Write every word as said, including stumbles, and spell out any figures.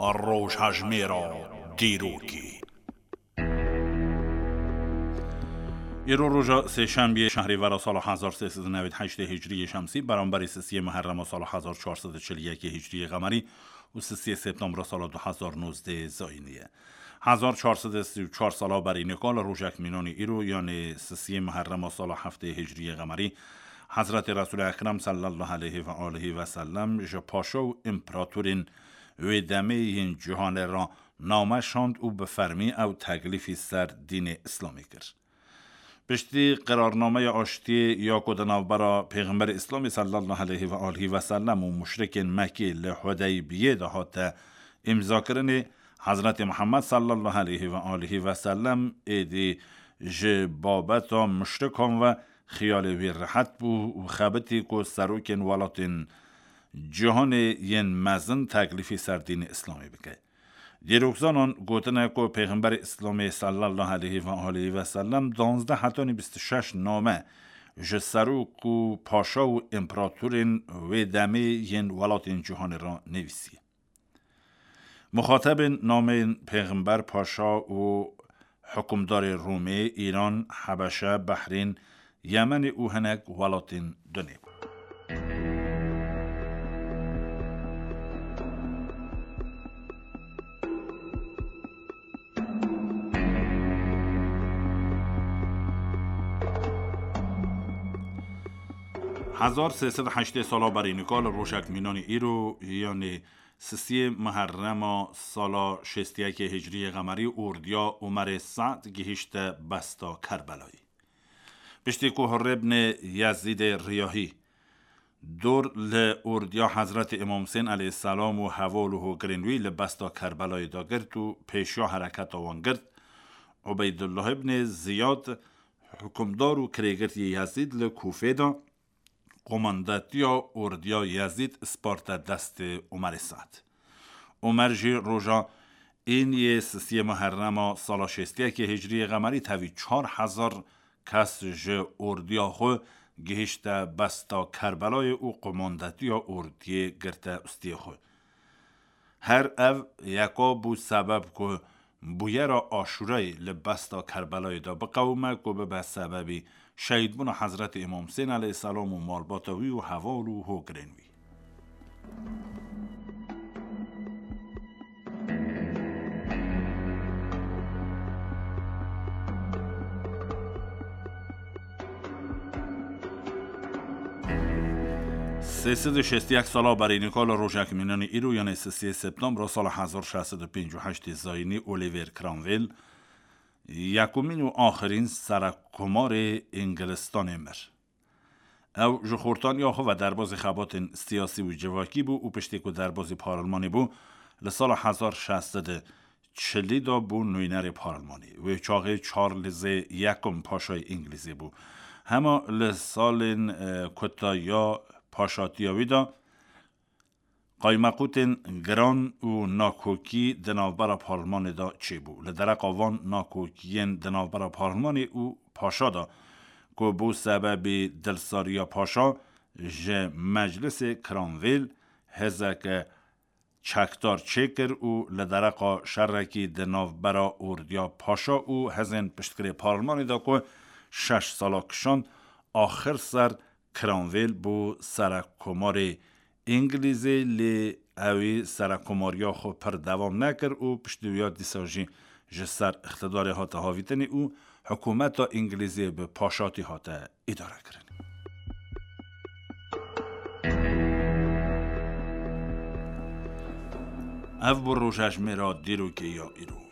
Rojhejmêra dîrokê. Îro roja sêşembiyê şehrîvera sala hezar sê sed û newêd heştê hicriyê şemsî, beramberî sisiyê Muherrema sala hezar çar sed û çil û yekê hicriyê qemerî û sisiyê Septembra sala du hezar nozdeh zayînî ye. Hezar çar sed û sî û çar sala berî nika li rojek mînanî îro, yanê sisiyê Muherrema sala heftê hicriyê qemerî, Hezretê Resûlê Ekrem sallallahu aleyhi ve aleyhi ve sellem ji paşa û împeratorên wê demê yên cîhanê re name şand û bi fermî ew teklîfî ser dînê Îslamê kir. Piştî qerarnameya aştiyê ya ku di navbera Pêxemberê Îslamê sallallahu aleyhi ve aleyhi ve sellem û muşrikên Mekkê li Hudeybiyê de hate îmzakirinê, Hezretê Muhammed sallallahu aleyhi ve aleyhi ve sellem êdî ji babeta muşrikan ve xiyalê wî rehet bû û xebitî ku serokên welatên cîhanê yên mezin teklîfî ser dînê Îslamê bike. Dîrokzanan gotine ku Pêxemberê Îslamê sallallahu aleyhi ve aleyhi ve sellem duwazdeh hetanî bîst û şeş name ji serok û paşa û împeratorên wê demê yên welatên cîhanê re nivîsiye. Muxatebên nameyên Pêxember, paşa û hukimdarê Rûmê, Îran, Hebeşe, Behrîn, Yemenê û hinek welatên dinê bûn. Hezar sê sed û heştê sala berî nika li rojek mînanî îro, yanê sisiyê Muherrema sala şêst û yekê hicriyê qemerî, ordiya Omerê Se'd gihîşte besta Kerbelayê. Piştî ku Hurrê ibnê Yezîdê Riyahî dor li ordiya Hezretê Îmam Husên aleyhisselam û heval û hogirên wî li besta Kerbelayê de girt û pêşiya hereketa wan girt, Ubeydullah ibnê Ziyad, hukimdar û kirêgirtiyê Yezîd li Kûfê de, komandatiya ordiya Yezîd sparte destê Omerê Se'd. Omer jî roja êniyê sisiyê Muherrema sala şêst û yekê hicriyê qemerî tevî çar hezar kes ji ordiya xwe gihişte besta Kerbelayê û komandatiya ordiyê girte ustiyê xwe. Her ev yeka bû sebeb ku bûyera Aşûrayê li besta Kerbelayê de biqewime ku bibe sebebî şehîdbûna Hezretê Îmam Husên aleyhisselam û malbata wî û heval û hogirên wî. Sê sed û şêst û yek sala berî nika li rojek mînanî îro, yanê sisiyê Septembra sala hezar şeş sed û pêncî û heştê zayînî, Oliver Cromwell, yekumîn û axirîn serekkomarê Îngilistanê mir. Ew ji xortaniya xwe ve derbazî xebatên siyasî û civakî bû û piştî ku derbazî parlemanê bû, li sala hezar şeş sed û çilî de bû nûnerê parlemanê. Wê çaxê Charlesê Yekum paşayê Îngilîzê bû. Hema li salên, e, kuta ya paşatiya wî de qaymeqûtên giran û nakokî di navbera parlemanê de çêbû. Li dereqa van nakokiyên di navbera parlemanê û paşa de, ku bû sebebê dilsariya paşa, ji Meclisê Cromwell hêzeke çekdar çêkir û li dereqa şerekî di navbera ordiya paşa û hêzên piştgirê parlemanê de ku şeş sala kişand, axir ser Cromwell bû serekkomarê Îngilîzê, lê ewî serekkomariya xwe pir dewam nekir û piştî wî ya dîsa jî ji ser îqtidarê hate havîtinê û hikûmeta Îngilîzê bi paşatî hate îdarekirin. Ev bû rojejmêra dîrokê ya îro.